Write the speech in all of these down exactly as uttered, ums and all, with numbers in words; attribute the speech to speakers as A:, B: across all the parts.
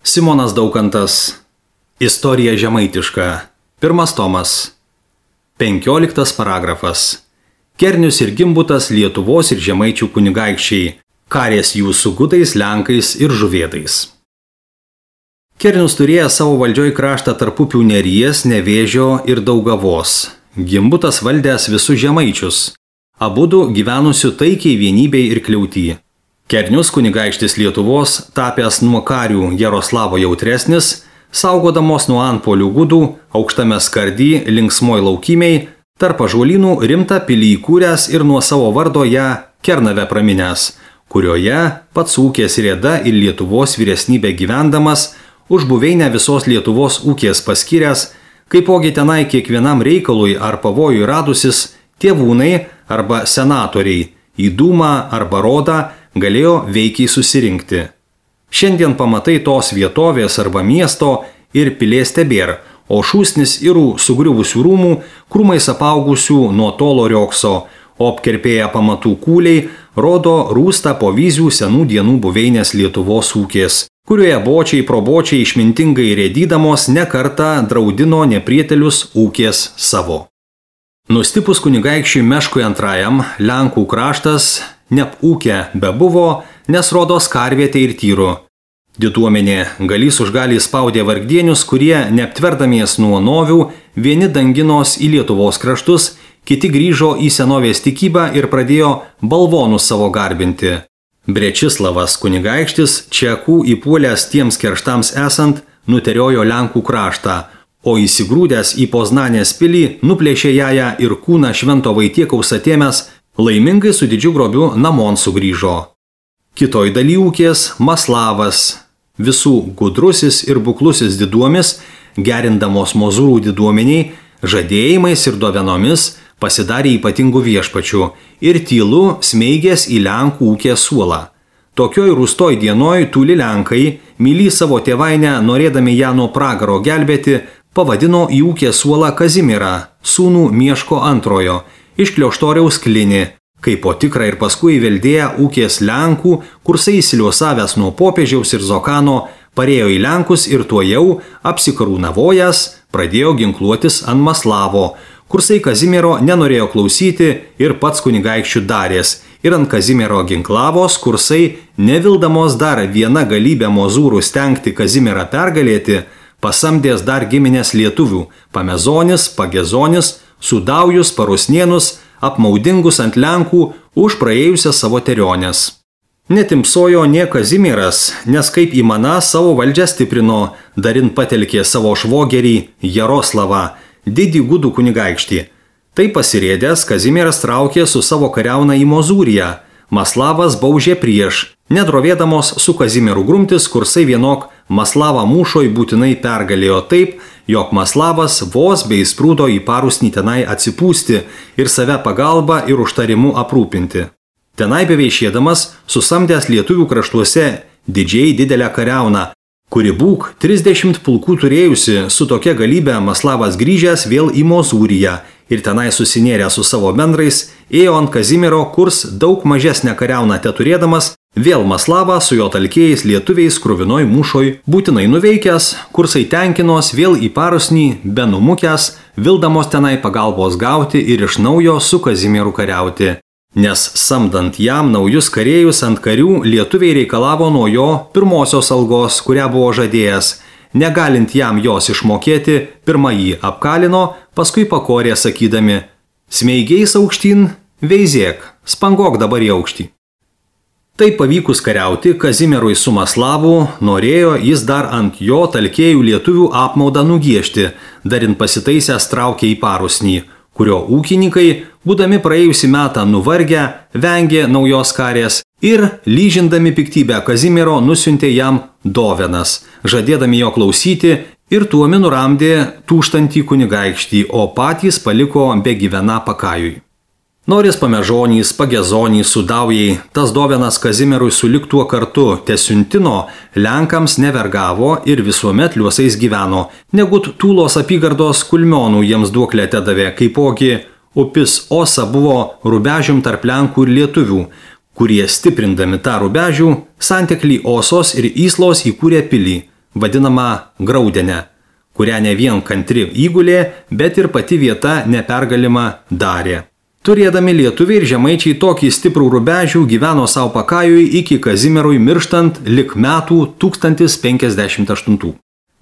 A: Simonas Daukantas. Istorija žemaitiška. Pirmas tomas. Penkioliktas paragrafas. Kernius ir Gimbutas Lietuvos ir žemaičių kunigaikščiai. Karės jų su gudais, lenkais ir žuvėdais. Kernius turėjo savo valdžioj kraštą tarp upių Neries, Nevėžio ir Daugavos. Gimbutas valdęs visus žemaičius. Abudu gyvenusių taikiai vienybei ir kliauty. Kernius kunigaikštis Lietuvos, tapęs nuo karių Jaroslavo jautresnis, saugodamos nuo antpolių gudų, aukštame skardy, linksmoj laukimiai, tarp ąžuolynų rimtą pilį įkūręs ir nuo savo vardo ją Kernavę praminęs, kurioje pats ūkės rėda ir Lietuvos vyresnybė gyvendamas, už buveinę visos Lietuvos ūkės paskyręs, kaipogi tenai kiekvienam reikalui ar pavojui radusis, tėvūnai arba senatoriai, į dūmą arba rodą galėjo veikiai susirinkti. Šiandien pamatai tos vietovės arba miesto ir pilės tebėr, o šūsnis irų sugriuvusių rūmų, krūmais apaugusių nuo tolo riokso, o apkerpėję pamatų kūliai rodo rūstą po vizių senų dienų buveinės Lietuvos ūkės, kurioje bočiai probočiai išmintingai rėdydamos nekartą draudino neprietelius ūkės savo. Nustipus kunigaikščiui Meškui antrajam, Lenkų kraštas neapūkę bebuvo, nes rodos karvietė ir tyru. Diduomenė galys už galį spaudė vargdienius, kurie, neaptverdamies nuo novių, vieni danginos į Lietuvos kraštus, kiti grįžo į senovės tikybą ir pradėjo balvonus savo garbinti. Brečislavas kunigaikštis, čekų įpuolęs tiems kerštams esant, nuteriojo Lenkų kraštą, o įsigrūdęs į Poznanės pilį, nuplėšė ją ir kūną švento Vaitiekaus atėmęs, laimingai su didžiu grobiu namon sugrįžo. Kitoj daly ūkės Maslavas, visų gudrusis ir buklusis diduomis, gerindamos mozūrų diduomeniai, žadėjimais ir dovenomis pasidarė ypatingų viešpačių ir tylu smeigės į Lenkų ūkės suolą. Tokioj rūstoj dienoj tūli Lenkai, myli savo tėvainę, norėdami ją nuo pragaro gelbėti, pavadino į ūkės suolą Kazimierą, sūnų Mieško antrojo, iš Klioštoriaus Klinį, kaip po tikrą ir paskui įveldėję ūkės Lenkų, kursai įsiliuosavęs nuo popiežiaus ir Zokano, parėjo į Lenkus ir tuojau, apsikarūnavojęs, pradėjo ginkluotis ant Maslavo. Kursai Kazimiero nenorėjo klausyti ir pats kunigaikščių darės, ir ant Kazimiero ginklavos kursai, nevildamos dar vieną galybę mozūrų stengti Kazimierą pergalėti, pasamdės dar giminės lietuvių, Pamezonis, Pagezonis, Sudaujus, Parusnienus, apmaudingus ant Lenkų už praėjusias savo terionės. Netimsojo nie Kazimieras, nes kaip įmana savo valdžią stiprino, darin patelkė savo švogerį Jaroslavą, didį gudų kunigaikštį. Tai pasirėdęs Kazimieras traukė su savo kariauna į Mozūriją. Maslavas baužė prieš, nedrovėdamos su Kazimieru grumtis, kursai vienok Maslavą mūšoj būtinai pergalėjo taip, jog Maslavas vos bei sprūdo į Parusnį tenai atsipūsti ir save pagalba ir užtarimu aprūpinti. Tenai beveišėdamas susamdęs lietuvių kraštuose didžiai didelę kariauną, kuri būk trisdešimt pulkų turėjusi, su tokia galybė Maslavas grįžęs vėl į Mozūriją ir tenai susinėrė su savo bendrais, ėjo ant Kazimiero, kurs daug mažesnę kariauną teturėdamas, vėl Maslavą su jo talkėjais lietuviais kruvinoj mūšoj būtinai nuveikęs, kursai tenkinos vėl į Parusnį, benumukęs, vildamos tenai pagalbos gauti ir iš naujo su Kazimieru kariauti. Nes samdant jam naujus karėjus ant karių, lietuviai reikalavo nuo jo pirmosios algos, kurią buvo žadėjęs. Negalint jam jos išmokėti, pirmą jį apkalino, paskui pakorė sakydami: smeigiais aukštyn, veizėk, spangok dabar į aukštį. Tai pavykus kariauti Kazimierui su Maslavu, norėjo jis dar ant jo talkėjų lietuvių apmaudą nugiešti, darin pasitaisęs traukė į Parusnį, kurio ūkininkai, būdami praėjusį metą nuvargę, vengė naujos karės ir, lyžindami piktybę Kazimiero, nusiuntė jam dovenas, žadėdami jo klausyti, ir tuomi nuramdė tūštantį kunigaikštį, o patys paliko be gyvena pakajui. Noris Pamežonys, Pagezonys, Sudaujai, tas dovenas Kazimierui sulik tuo kartu tesiuntino, Lenkams nevergavo ir visuomet liuosais gyveno, negut Tūlos apygardos Kulmionų jiems duoklę tedavė, kaipogi upis Osa buvo rubežium tarp Lenkų ir lietuvių, kurie stiprindami tą rubežių, santeklį Osos ir Yslos įkūrė pilį, vadinamą Graudenę, kurią ne vien kantri įgulė, bet ir pati vieta nepergalima darė. Turėdami lietuviai ir žemaičiai tokį stiprų rubežių gyveno savo pakajui iki Kazimierui mirštant lik metų tūkstantis penkiasdešimt aštuntų.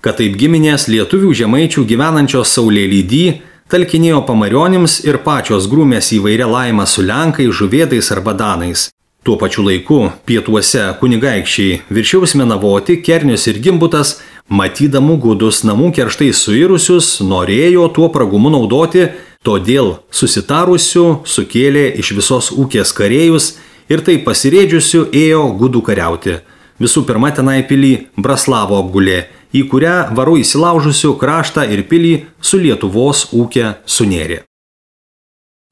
A: Kad taip giminės lietuvių žemaičių gyvenančios Saulėlydy talkinėjo pamarionims ir pačios grūmės įvairia laima su lenkais, žuvėdais arba danais. Tuo pačiu laiku pietuose kunigaikščiai Viršiaus Menavoti, Kernius ir Gimbutas, matydamų gudus namų kerštai suirusius, norėjo tuo pragumu naudoti, todėl susitarusių sukėlė iš visos ūkės karėjus ir taip pasirėdžiusių ėjo gudų kariauti. Visų pirma tenai pilį Braslavo apgulė, į kurią varu įsilaužusių kraštą ir pilį su Lietuvos ūkė sunėrė.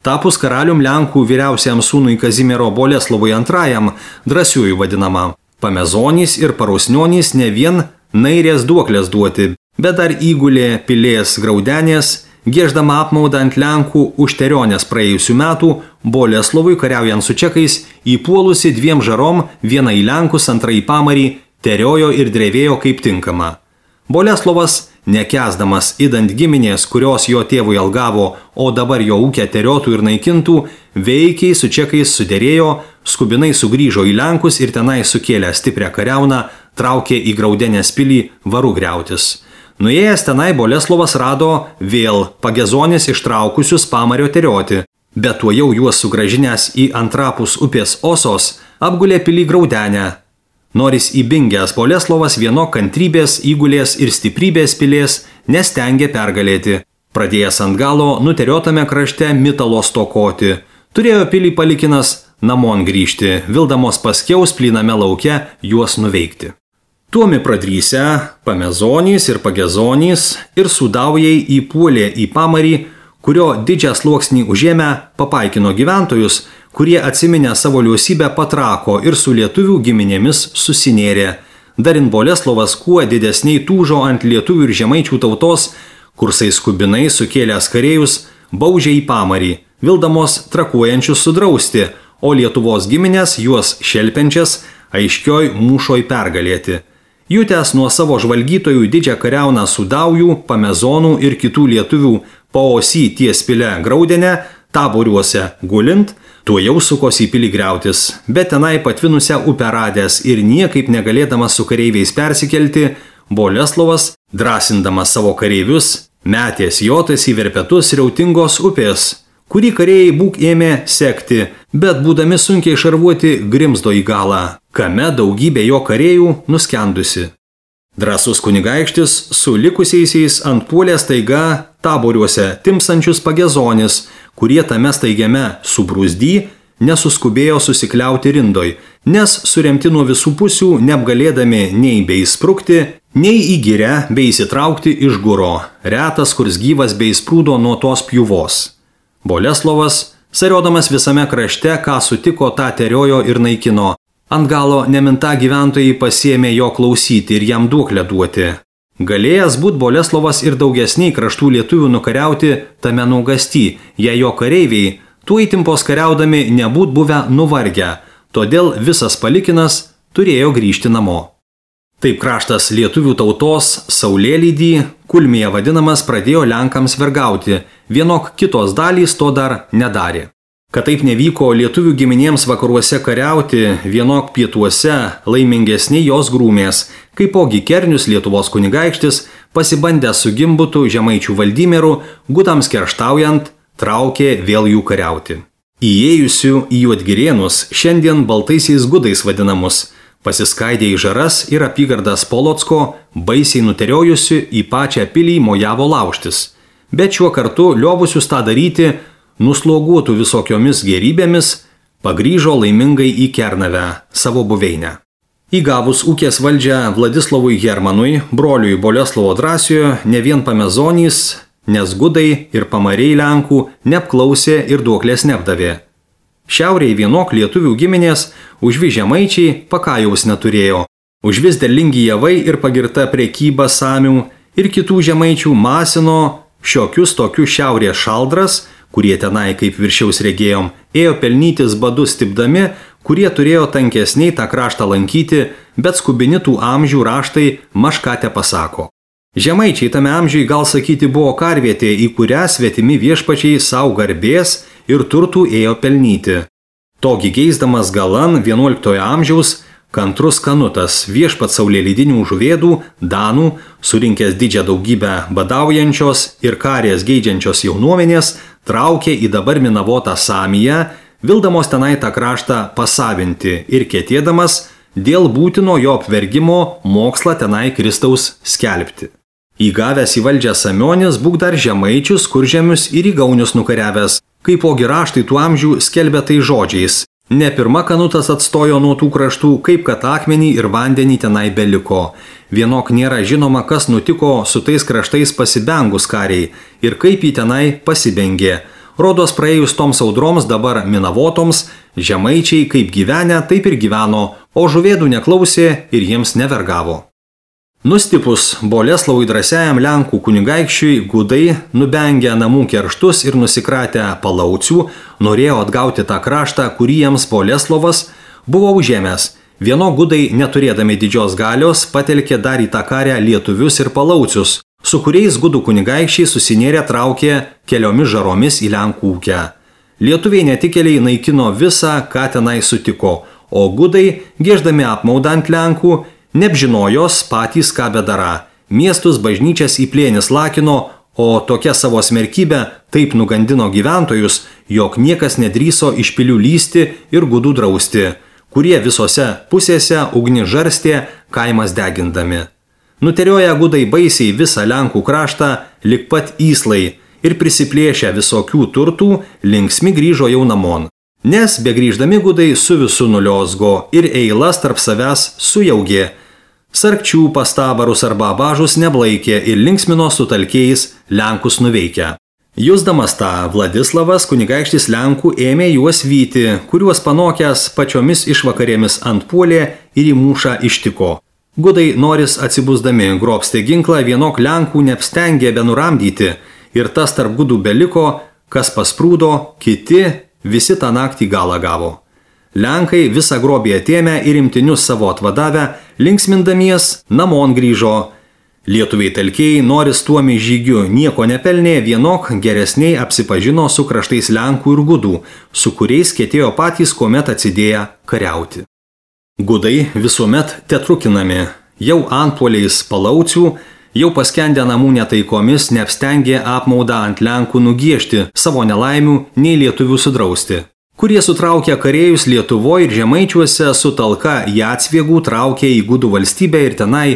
A: Tapus karalium Lenkų vyriausiam sūnui Kazimiero Boleslovui antrajam, drąsiųjų vadinamam, Pamezonys ir Parausnionys ne vien nairės duoklės duoti, bet dar įgulė pilės Graudenės, gieždama apmaudą ant Lenkų už terionės praėjusių metų, Boleslovui kariaujant su čekais, įpuolusi dviem žarom, vieną į Lenkus, antrą į Pamarį, teriojo ir drevėjo kaip tinkama. Boleslovas, nekęsdamas idant giminės, kurios jo tėvui algavo, o dabar jo ūkę teriotų ir naikintų, veikiai su čekais suderėjo, skubinai sugrįžo į Lenkus ir tenai sukėlę stiprią kariauną, traukė į Graudenės pilį varu griautis. Nuėjęs tenai Boleslovas rado vėl Pagezonis ištraukusius Pamario terioti, bet tuo jau juos sugražinęs į antrapus upės Osos, apgulė pilį Graudenę. Noris įbingęs Boleslovas vieno kantrybės, įgulės ir stiprybės pilės nestengė pergalėti. Pradėjęs ant galo nuteriotame krašte mitalo stokoti. Turėjo pilį palikinas namon grįžti, vildamos paskiaus plyname lauke juos nuveikti. Tuomi pradrysę Pamezonys ir Pagezonys ir Sudaujai įpuolė į Pamarį, kurio didžią sluoksnį užėmę papaikino gyventojus, kurie atsiminę savo liausybę patrako ir su lietuvių giminėmis susinėrė. Darin Boleslovas kuo didesniai tūžo ant lietuvių ir žemaičių tautos, kursai skubinai sukėlęs karėjus, baužė į Pamarį, vildamos trakuojančius sudrausti, o Lietuvos giminės juos šelpenčias aiškioj mūšoj pergalėti. Jutęs nuo savo žvalgytojų didžią kariauną Sudaujų, Pamezonų ir kitų lietuvių paosy ties pilę Graudenę, taboriuose gulint, tuo jau sukosi į pilį griautis, bet tenai patvinusią upę radęs ir niekaip negalėdamas su kareiviais persikelti, Boleslovas, drąsindamas savo kareivius, metės jotais į verpetus riautingos upės, kurį kareiviai būk ėmė sekti, bet būdami sunkiai šarvuoti grimzdo į galą, kame daugybė jo kareivių nuskendusi. Drąsus kunigaikštis su likusiaisiais ant puolės taiga taboriuose timsančius Pagezonis, kurie tame staigiame subrūzdy nesuskubėjo susikliauti rindoj, nes suremti nuo visų pusių neapgalėdami nei bei sprukti, nei į girę bei įsitraukti iš guro, retas kurs gyvas bei sprūdo nuo tos pjuvos. Boleslovas, sariodamas visame krašte, ką sutiko, tą teriojo ir naikino. Ant galo neminta gyventojai pasiėmė jo klausyti ir jam duoklę duoti. Galėjęs būt Boleslovas ir daugesniai kraštų lietuvių nukariauti tame nuogasty, jei jo kareiviai, tuo įtimpos kariaudami nebūt buvę nuvargę, todėl visas palikinas turėjo grįžti namo. Taip kraštas lietuvių tautos Saulėlydy, Kulmėje vadinamas, pradėjo Lenkams vergauti, vienok kitos dalys to dar nedarė. Kad taip nevyko lietuvių giminėms vakaruose kariauti, vienok pietuose laimingesni jos grūmės, kaipogi Kernius Lietuvos kunigaikštis, pasibandęs su Gimbutu žemaičių Valdymieru, gudams kerštaujant, traukė vėl jų kariauti. Įėjusių į Juodgirėnus, šiandien baltaisiais gudais vadinamus, pasiskaidė į žaras ir apygardas Polocko, baisiai nuteriojusių į pačią pilį mojavo laužtis. Bet šiuo kartu liovusius tą daryti, nusloguotų visokiomis gerybėmis, pagrįžo laimingai į Kernavę, savo buveinę. Įgavus ūkės valdžią Vladislovui Hermanui, broliui Boleslovo Drąsiojo, ne vien Pamezonys, nes gudai ir pamariai Lenkų neapklausė ir duoklės neapdavė. Šiaurėje vienok lietuvių giminės, užvi žemaičiai pakajaus neturėjo, užvis derlingi javai ir pagirta prekyba samių ir kitų žemaičių masino šiokius tokius šiaurės šaldras, kurie tenai, kaip viršiaus regėjom, ėjo pelnytis badus stipdami, kurie turėjo tankesniai tą kraštą lankyti, bet skubini tų amžių raštai mažką te pasako. Žemaičiai tame amžiui gal sakyti buvo karvietė, į kurią svetimi viešpačiai savo garbės ir turtų ėjo pelnyti. Togi geisdamas galan vienuoliktojo amžiaus kantrus Kanutas, viešpat saulėlydinių žuvėdų, danų, surinkęs didžią daugybę badaujančios ir karės geidžiančios jaunuomenės, traukė į dabar minavotą Samiją, vildamos tenai tą kraštą pasavinti ir ketėdamas dėl būtino jo apvergimo mokslą tenai Kristaus skelbti. Įgavęs į valdžią Samionis būk dar žemaičius, kuržemius ir įgaunius nukariavęs, kaipogi raštai tų amžių skelbia tai žodžiais. Ne pirma Kanutas atstojo nuo tų kraštų, kaip kad akmenį ir vandenį tenai beliko. Vienok nėra žinoma, kas nutiko su tais kraštais pasibengus kariai ir kaip jį tenai pasibengė. Rodos praėjus toms audroms dabar minavotoms, žemaičiai kaip gyvenę, taip ir gyveno, o žuvėdų neklausė ir jiems nevergavo. Nustipus Boleslavui drąsiajam Lenkų kunigaikščiui, gudai, nubengę namų kerštus ir nusikratę palaucių, norėjo atgauti tą kraštą, kurį jiems Boleslavas buvo užėmęs. Vieno gudai, neturėdami didžios galios, patelkė dar į tą karę lietuvius ir palaucius, su kuriais gudų kunigaikščiai susinėrė traukė keliomis žaromis į Lenkų ūkę. Lietuviai netikėliai naikino visą, ką tenai sutiko, o gudai, gieždami apmaudą ant Lenkų, neapžinojos patys ką bedara. Miestus bažnyčias į plėnis lakino, o tokia savo smerkybė taip nugandino gyventojus, jog niekas nedrįso iš pilių lysti ir gudų drausti, kurie visose pusėse ugni žarstė kaimas degindami. Nuterioja gudai baisiai visą Lenkų kraštą, lik pat įslai, ir prisiplėšę visokių turtų, linksmi grįžo jau namon. Nes begrįždami gudai su visu nuliozgo ir eilas tarp savęs sujaugė. Sarkčių pastabarus arba abažus neblaikė ir linksmino sutalkiais Lenkus nuveikę. Jusdamas tą, Vladislavas, kunigaikštis Lenkų, ėmė juos vyti, kuriuos panokęs pačiomis išvakarėmis antpuolė ir į mūšą ištiko. Gudai noris atsibusdami grobstė ginklą, vienok Lenkų neapstengė benuramdyti ir tas tarp gudų beliko, kas pasprūdo, kiti visi tą naktį galą gavo. Lenkai visą grobį atėmę ir imtinius savo atvadavę, linksmindamies namon grįžo. Lietuviai telkiai, noris tuomi žygiu nieko nepelnė, vienok geresniai apsipažino su kraštais Lenkų ir gudų, su kuriais ketėjo patys kuomet atsidėję kariauti. Gudai visuomet tetrukinami, jau antpuoliais palaucių, jau paskendę namų netaikomis neapstengė apmaudą ant Lenkų nugiešti, savo nelaimių nei lietuvių sudrausti, kurie sutraukė karėjus Lietuvoje ir žemaičiuose su talka Jacviegų traukė į gudų valstybę ir tenai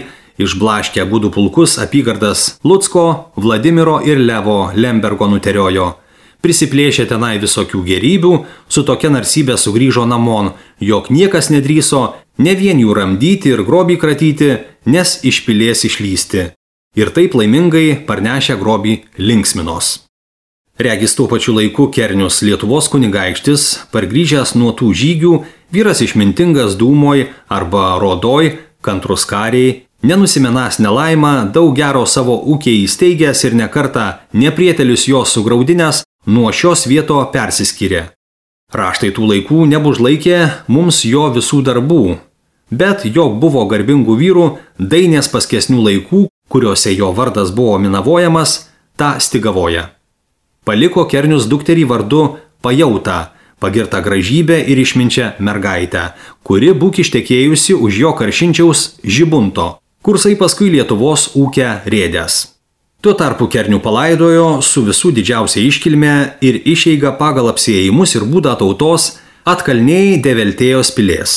A: išblaškę gudų pulkus apygardas Lucko, Vladimiro ir Levo Lembergo nuteriojo. Prisiplėšė tenai visokių gerybių, su tokia narsybė sugrįžo namon, jog niekas nedrįso ne vien jų ramdyti ir grobį kratyti, nes iš pilies išlysti. Ir taip laimingai parnešę grobį linksminos. Regis tuo pačiu laiku Kernius, Lietuvos kunigaikštis, pargrįžęs nuo tų žygių, vyras išmintingas Dūmoj arba Rodoj, kantrus kariai, nenusimenas nelaimą, daug gero savo ūkiai įsteigęs ir nekartą neprietelius jos sugraudinęs, nuo šios vieto persiskyrė. Raštai tų laikų nebužlaikė mums jo visų darbų, bet jog buvo garbingų vyrų, dainės paskesnių laikų, kuriuose jo vardas buvo minavojamas, tą stigavoja. Paliko Kernius dukterį vardu Pajautą, pagirtą gražybę ir išminčią mergaitę, kuri būk ištekėjusi už jo karšinčiaus Žibunto, kursai paskui Lietuvos ūkę rėdęs. Tuo tarpu Kernių palaidojo su visų didžiausia iškilme ir išeiga pagal apsiėjimus ir būdą tautos atkalniai Develtėjos pilės.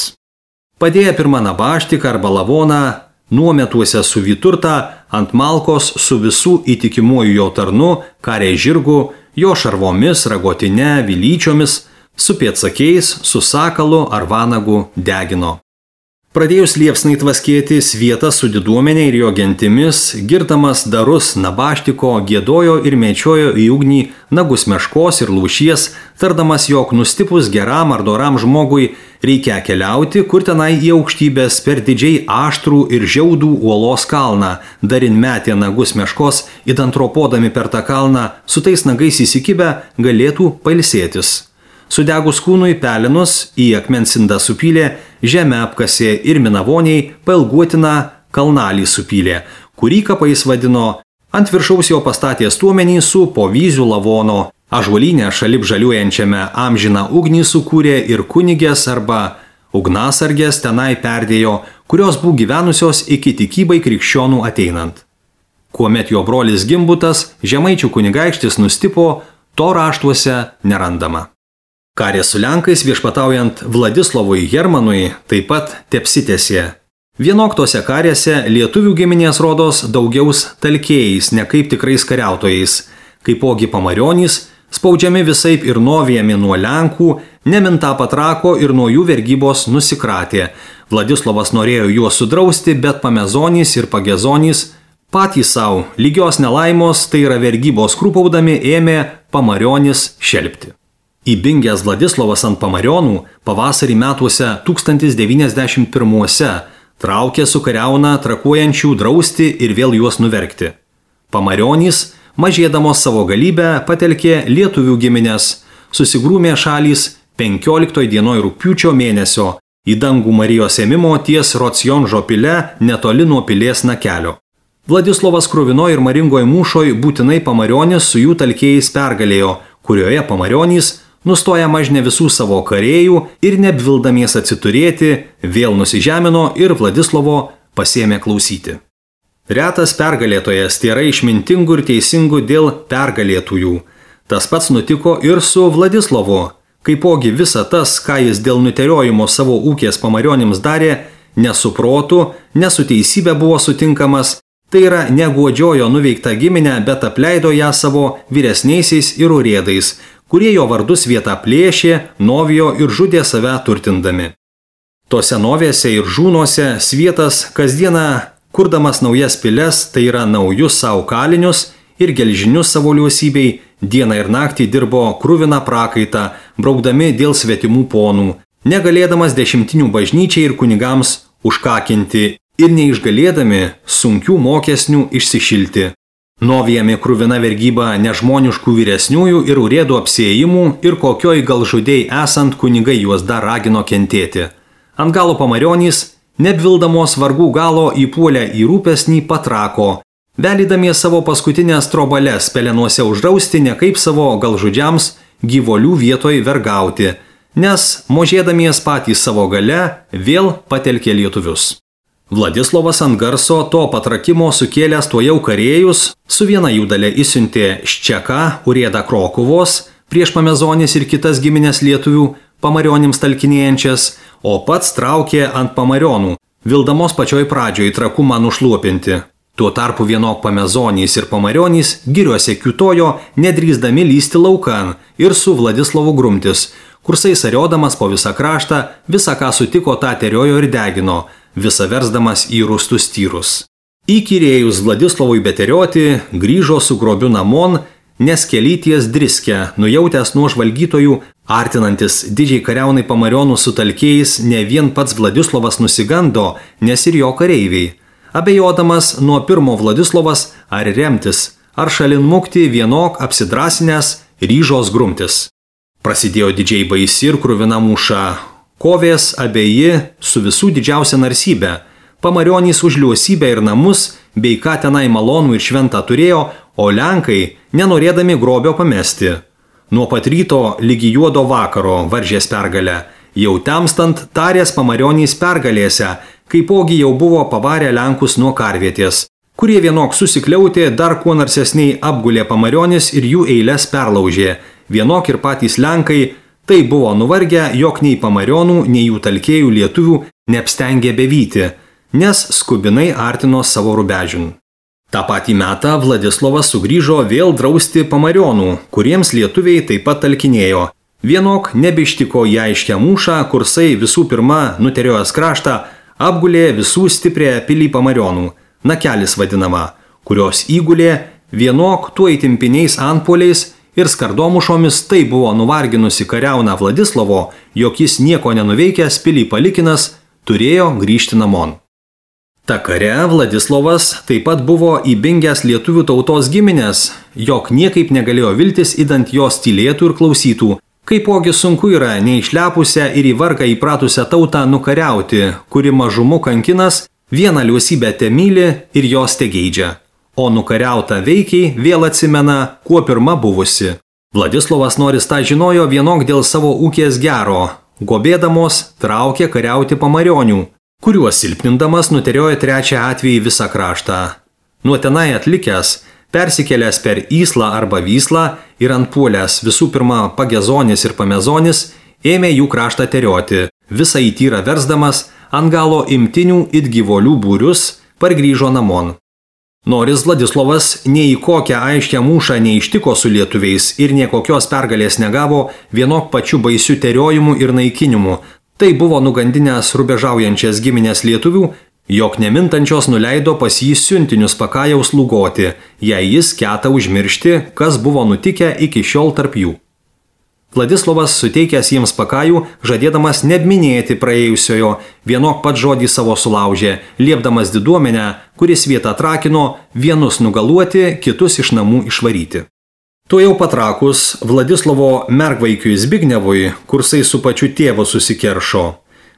A: Padėję pirmą nabaštiką arba lavoną, nuometuose su vyturta ant malkos su visų įtikimuoju jo tarnu, karė žirgu, jo šarvomis, ragotine, vilyčiomis, su pėdsakiais, su sakalu ar vanagu degino. Pradėjus liepsnai tvaskėti, Svietas su diduomenė ir jo gentimis, girdamas darus nabaštiko, giedojo ir mečiojo į ugnį nagus meškos ir lūšies, tardamas, jog nustipus geram ar doram žmogui reikia keliauti, kur tenai į aukštybės per didžiai aštrų ir žiaudų uolos kalną, darin metė nagus meškos, idant ropodami per tą kalną, su tais nagais įsikibę galėtų pailsėtis. Sudegus kūnui pelinus į akmens indą supylė, žemę apkasė ir minavoniai pailguotiną kalnalį supylė, kurį kapais vadino, ant viršaus jo pastatė stuomenį su povyzių lavono, ąžuolinę šalip žaliuojančiame amžiną ugnį sukūrė ir kunigės arba ugnasargės tenai perdėjo, kurios buvo gyvenusios iki tikybai krikščionų ateinant. Kuomet jo brolis Gimbutas, žemaičių kunigaikštis, nustipo, to raštuose nerandama. Karė su Lenkais viešpataujant Vladislovui Hermanui taip pat tepsitėsė. Vienoktose karėse lietuvių giminės rodos daugiaus talkėjais, ne kaip tikrais kariautojais, kaipogi pamarionys, spaudžiami visaip ir nuovijami nuo Lenkų, nemintą patrako ir nuo jų vergybos nusikratė. Vladislovas norėjo juos sudrausti, bet pamezonys ir pagezonys patys savo lygios nelaimos, tai yra vergybos krūpaudami, ėmė pamarionys šelpti. Įbingęs Vladislovas ant pamarionų pavasarį metuose tūkstantis devyniasdešimt pirmuose traukė su kariauna trakuojančių drausti ir vėl juos nuverkti. Pamarionys, mažėdamos savo galybę, patelkė lietuvių giminės, susigrūmė šalys penkioliktoj dienoj rugpjūčio mėnesio į dangų Marijos ėmimo ties Rocijonžo pile netoli nuo pilies nakelio. Vladislovas kruvino ir maringoj mūšoj būtinai pamarionys su jų talkėjais pergalėjo, kurioje pamarionys nustoja mažne visų savo karėjų ir neapvildamies atsiturėti, vėl nusižemino ir Vladislovo pasėmė klausyti. Retas pergalėtojas tėra išmintingų ir teisingų dėl pergalėtųjų. Tas pats nutiko ir su Vladislovu, kaipogi visa tas, ką jis dėl nuteriojimo savo ūkės pamarionims darė, nesuprotų, nesu teisybė buvo sutinkamas, tai yra neguodžiojo nuveiktą giminę, bet apleido ją savo vyresniaisiais ir urėdais, kurie jo vardus vietą plėšė, novijo ir žudė save turtindami. Tose novėse ir žūnuose svietas kasdieną, kurdamas naujas piles, tai yra naujus savo kalinius ir gelžinius savo liuosybei, dieną ir naktį dirbo kruviną prakaitą, braukdami dėl svetimų ponų, negalėdamas dešimtinių bažnyčiai ir kunigams užkakinti ir neišgalėdami sunkių mokesnių išsišilti. Novijami kruvina vergyba nežmoniškų vyresniųjų ir urėdų apsiėjimų ir kokioj gal žudėjai esant kunigai juos dar ragino kentėti. Ant galo pamarionys, neapvildamos vargų galo įpuolę į rūpesnį patrako, velydamės savo paskutinės trobales pelenuose uždrausti ne kaip savo galžudžiams gyvolių vietoj vergauti, nes možėdamies patys savo gale vėl patelkė lietuvius. Vladislovas ant garso to patrakimo sukėlęs tuojau karėjus, su viena jų dalė įsiuntė Ščeką, urėdą Krokuvos, prieš pamezonis ir kitas giminės lietuvių pamarionims talkinėjančias, o pats traukė ant pamarionų, vildamos pačioj pradžioj trakumą nušluopinti. Tuo tarpu vienok pamezonys ir pamarionys giriuose kiutojo, nedrįsdami lysti laukan ir su Vladislovu grumtis, kursai sariodamas po visą kraštą, visą ką sutiko tą teriojo ir degino, visą versdamas į rūstus tyrus. Įkyrėjus Vladislovui beterioti, grįžo su grobiu namon, nes kelyties driskę, nujautęs nuo žvalgytojų, artinantis didžiai kariaunai pamarionų su talkėjais, ne vien pats Vladislovas nusigando, nes ir jo kareiviai. Abejodamas nuo pirmo Vladislovas ar remtis, ar šalin mukti vienok apsidrasinęs ryžos grumtis. Prasidėjo didžiai baisi ir kruvina mūša. Kovės abeji su visų didžiausia narsybė. Pamarionys už liuosybę ir namus, bei ką tenai malonų ir šventą turėjo, o Lenkai nenorėdami grobio pamesti. Nuo pat ryto lygi juodo vakaro varžės pergalę. Jau temstant tarės pamarionys pergalėse, kaipogi jau buvo pavarę Lenkus nuo karvietės, kurie vienok susikliautė, dar kuo narsesniai apgulė pamarionis ir jų eiles perlaužė. Vienok ir patys Lenkai tai buvo nuvargę, jog nei pamarionų, nei jų talkėjų lietuvių neapstengė bevyti, nes skubinai artino savo rubežiun. Ta patį metą Vladislovas sugrįžo vėl drausti pamarionų, kuriems lietuviai taip pat talkinėjo. Vienok nebeištiko į aiškę mūšą, kursai visų pirma nuteriojęs kraštą apgulė visų stiprią pilį pamarionų, nakelis vadinama, kurios įgulė vienok tuo įtimpiniais antpoliais ir skardomušomis tai buvo nuvarginusi kariauną Vladislovo, jog jis nieko nenuveikęs pilį palikinas turėjo grįžti namon. Ta kare Vladislovas taip pat buvo įbingęs lietuvių tautos giminės, jog niekaip negalėjo viltis, idant jos tylėtų ir klausytų, Kaipogi sunku yra neišlepusią ir į vargą įpratusią tautą nukariauti, kuri mažumu kankinas, vieną liusybę temyli ir jos tegeidžia, o nukariauta veikiai vėl atsimena, kuo pirma buvusi. Vladislovas Noris tą žinojo vienok dėl savo ūkės gero, gobėdamos traukė kariauti pamarionių, kuriuos silpnindamas nuteriojo trečią atvejį visą kraštą. Nuo tenai atlikęs, persikėlęs per Įslą arba Vyslą ir antpuolęs visų pirma Pagezonis ir Pamezonis, ėmė jų kraštą terioti, visą įtyrą versdamas, ant galo imtinių it gyvolių būrius, pargrįžo namon. Noris Vladislovas nei į kokią aiškę mūšą neištiko su lietuviais ir niekokios pergalės negavo vienok pačiu baisiu teriojimu ir naikinimu. Tai buvo nugandinęs rubežaujančias giminės lietuvių, jog nemintančios nuleido pas jį siuntinius Pakajaus lūgoti, jei jis ketą užmiršti, kas buvo nutikę iki šiol tarp jų. Vladislovas suteikęs jiems Pakajų, žadėdamas neminėti praėjusiojo, vienok pat žodį savo sulaužė, liepdamas diduomenę, kuris vietą trakino, vienus nugaluoti, kitus iš namų išvaryti. Tuo jau patrakus Vladislovo mergvaikiui Zbignevui, kursai su pačiu tėvu susikeršo.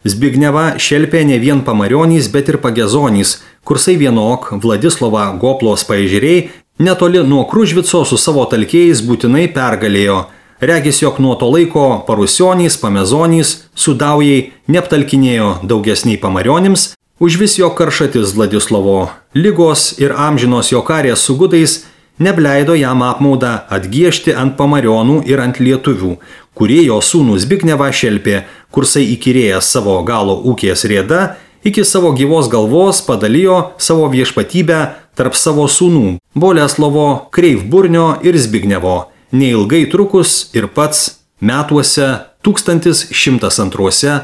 A: Zbigneva šelpė ne vien pamarionys, bet ir Pagezonys, kursai vienok Vladislovą Goplos paežeriai netoli nuo Kružvico su savo talkėjais būtinai pergalėjo. Regis, jog nuo to laiko Parusionys, Pamezonys, Sudaujai neaptalkinėjo daugesniai pamarionims, užvis jo karšatis Vladislovo, ligos ir amžinos jo karės su gudais nebleido jam apmaudą atgiešti ant pamarionų ir ant lietuvių, kurie jo sūnų Zbignevą šelpė, kursai įkyrėjęs savo galo ūkės rėda, iki savo gyvos galvos padalijo savo viešpatybę tarp savo sūnų Boleslovo, Kreivburnio ir Zbignevo. Neilgai trukus ir pats metuose tūkstantis šimtas antruose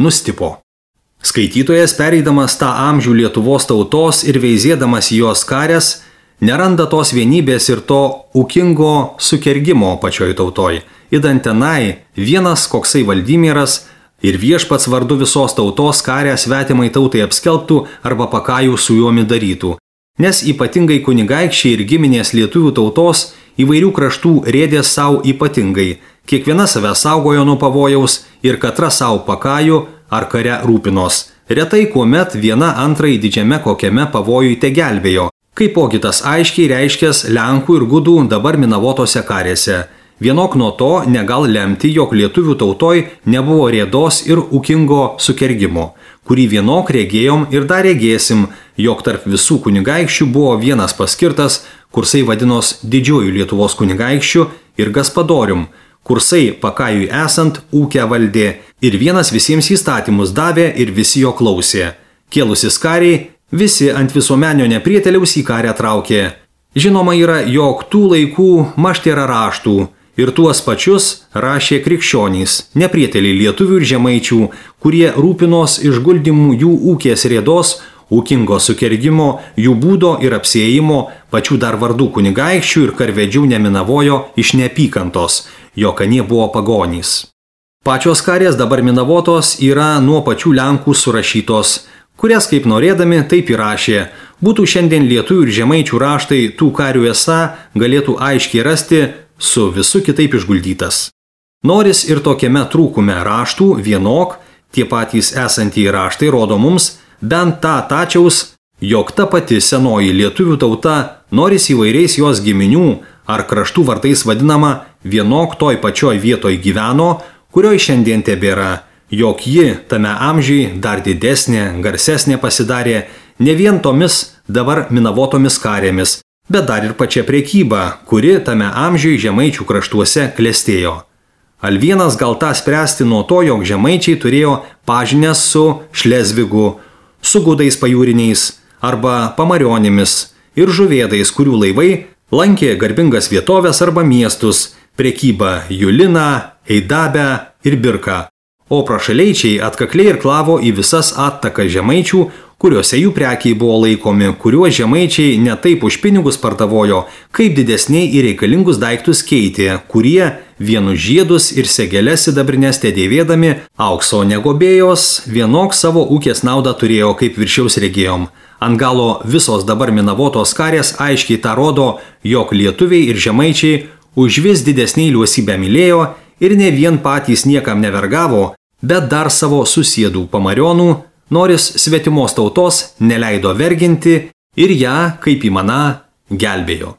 A: nustipo. Skaitytojas, pereidamas tą amžių Lietuvos tautos ir veizėdamas jos karės, neranda tos vienybės ir to ūkingo sukergimo pačioj tautoj. Idant tenai vienas koksai Valdimiras ir viešpats vardu visos tautos karę svetimai tautai apskelbtų arba Pakajų su juomi darytų. Nes ypatingai kunigaikščiai ir giminės lietuvių tautos įvairių kraštų rėdė savo ypatingai, kiekviena save saugojo nuo pavojaus ir katra savo Pakajų ar kare rūpinos. Retai kuomet viena antrai didžiame kokiame pavojui te gelbėjo, kaipogi tas aiškiai reiškęs Lenkų ir gudų dabar Minavotose karėse. Vienok nuo to negal lemti, jog lietuvių tautoj nebuvo rėdos ir ūkingo sukergimo, kurį vienok regėjom ir dar regėsim, jog tarp visų kunigaikščių buvo vienas paskirtas, kursai vadinos didžiuoju Lietuvos kunigaikščiu ir gaspadorium, kursai Pakajui esant ūkę valdė ir vienas visiems įstatymus davė ir visi jo klausė. Kėlusis kariai, visi ant visuomenio neprieteliaus į karę traukė. Žinoma yra, jog tų laikų maštėra raštų, ir tuos pačius rašė krikščionys, neprieteliai lietuvių ir žemaičių, kurie rūpinos išguldymų jų ūkės rėdos, ūkingo sukergimo, jų būdo ir apsiėjimo, pačių dar vardų kunigaikščių ir karvedžių neminavojo iš neapykantos, jog anie buvo pagonys. Pačios karės dabar Minavotos yra nuo pačių Lenkų surašytos, kurias kaip norėdami taip įrašė. Būtų šiandien lietuvių ir žemaičių raštai tų karių esą galėtų aiškiai rasti, su visu kitaip išguldytas. Noris ir tokiame trūkume raštų vienok, tie patys esantieji raštai rodo mums bent tą tačiaus, jog ta pati senoji lietuvių tauta, Noris įvairiais jos giminių ar kraštų vardais vadinama, vienok toj pačioj vietoj gyveno, kurioj šiandien tebėra, jog ji tame amžiui dar didesnė, garsesnė pasidarė ne vien tomis dabar Minavotomis karėmis, bet dar ir pačia prekyba, kuri tame amžiui žemaičių kraštuose klestėjo. Al vienas gal tą spręsti nuo to, jog žemaičiai turėjo pažinęs su Šlezvigu, su gudais pajūriniais arba pamarionimis ir žuvėdais, kurių laivai lankė garbingas vietovės arba miestus, prekybą Juliną, Eidabę ir Birką. O prašaleičiai atkakliai ir klavo į visas attakas žemaičių, kuriuose jų prekiai buvo laikomi, kuriuos žemaičiai ne taip už pinigus pardavojo, kaip didesniai į reikalingus daiktus keitė, kurie vienus žiedus ir segeles sidabrinės tedėvėdami aukso negobėjos, vienok savo ūkės naudą turėjo, kaip viršiaus regėjom. Ant galo visos dabar Minavotos karės aiškiai tą rodo, jog lietuviai ir žemaičiai už vis didesniai liuosybę mylėjo ir ne vien patys niekam nevergavo, bet dar savo susėdų pamarionų, noris svetimos tautos neleido verginti ir ją, kaip įmana, gelbėjo.